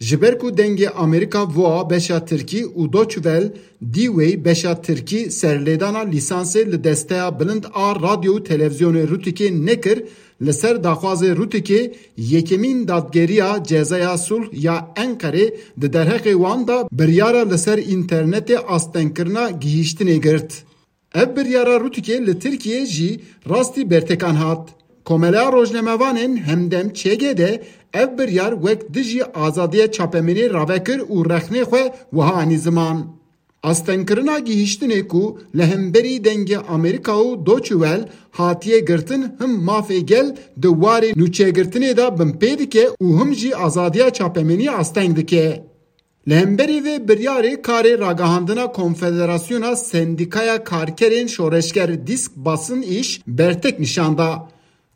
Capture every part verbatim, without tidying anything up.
Ji ber ku Dengê Amerîka VOA beşa Tirkî û Deutsche Welle, D-Wave beşa Tirkî serlêdana lîsansê li Desteya Bilind a Radyo û Televîzyonê Rûtikê nekir, li ser daxwazê Rûtikê yekemîn dadgeriya Cezaya Sulh ya Enqerê di derheqê wan de biryara li ser înternetê astengkirina gihîştinê girt. Ev biryara Rûtikê li Tirkiyê jî rastî bertekan hat. Komeleya Rojnamevanên Hemdem, Ç G D, ev biryar wek dijî azadiya çapemeniyê rave kir û rexnê xwe wiha anî ziman: Astengkirina gihîştinê ku li hemberî Dengê Amerîka û Deutsche Welle hatiye girtin, him mafê gel di warê nûçeyegirtinê de binpê dike û him jî azadiya çapemeniyê asteng dike. Li hemberî vê biryarê karê ragihandina Konfederasyona Sendîkaya Karkerên Şoreşger, Dîsk Basın İş, bertek nîşan da.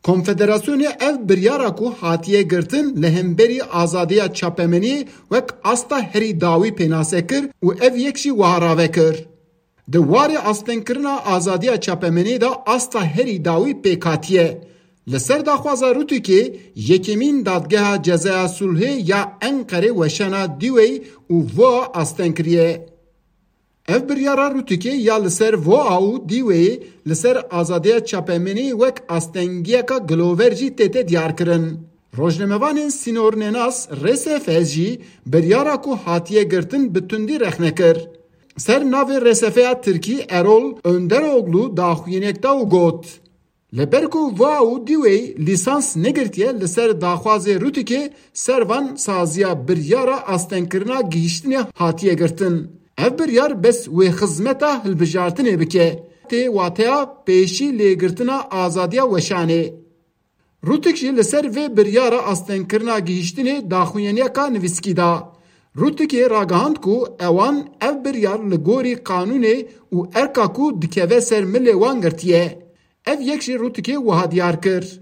Konfederasyonê ev biryara ku hatiye girtin li hemberî azadiya çapemeniyê wek asta herî dawî pênase kir û ev yek jî wiha rave kir: Di warê astengkirina azadiya çapemeniyê de asta herî dawî pêk hatiye. Li ser daxwaza Rûtikê, yekemîn Dadgeha Cezaya Sulhê ya Enqerê weşana D-Wave û VOA asteng kiriye. Ev biryara Rûtikê ya li ser VOA û D-Wave li ser azadiya çapemeniyê wek astengiyeka gilover jî tête diyarkirin. Rojnamevanên sînornenas, R S F, jî biryara ku hatiye girtin bi tundî rexne kir. Ser navê R S F ya Tirkî Erol Önderoglu daxuyaniyek da û got: Li ber ku VOA û D-Wave lîsans negirtiye, li ser daxwazê Rûtikê ser van saziya biryara astengkirina gihîştinê hatiye girtin. Ev biryar bes wê xizmeta hilbijartinê bike, tê wateya pêşî lêgirtina azadiya weşanê. Rûtik jî li ser vê biryara astengkirina gihîştinê daxuyaniyeka nivîskî da. Rûtikê ragihand ku ewan ev biryar li gorî qanûnê û erka ku dikeve ser milê wan girtiye. Ev yek jî Rûtikê wiha diyar kir: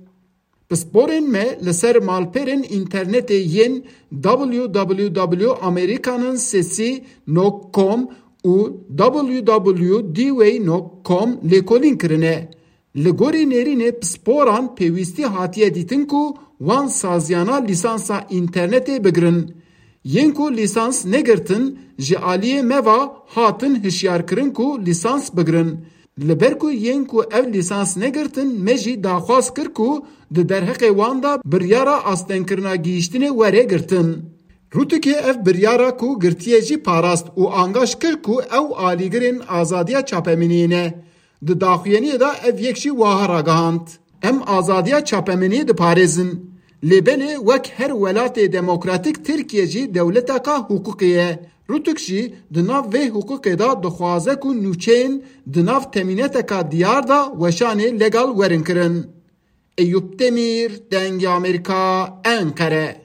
Pisporên me li ser malperên înternetê yên w w w amerikanın sesi nokta com û w w w d w nokta com lêkolîn kirine. Li gorî nêrînê pisporan pêwîstî hatiye dîtin ku wan saziyana lîsansa înternetê bigirin. Yên ku lîsans negirtin ji aliyê me ve hatin hişyarkirin ku lîsans bigirin. Li ber ku yên ku ev lîsans negirtin, me jî daxwaz kir ku di derheqê wan de biryara astengkirina gihîştinê were girtin. Rûtikê ev biryara ku girtiye jî parast û angaş kir ku ew alîgirên azadiya çapemeniyê ne. Di daxuyaniyê de ev yek jî wiha ragihand: Em azadiya çapemeniyê diparêzin. Lê belê wek her welatê demokratîk, Tirkiye jî dewleteka hiqûqê ye. Rûtik jî di nav vê hiqûqê de dixwaze ku nûçeyên di nav temîneteka diyar de weşanê legal werin kirin. Eyûp Demîr, Dengê Amerîka, Enqere.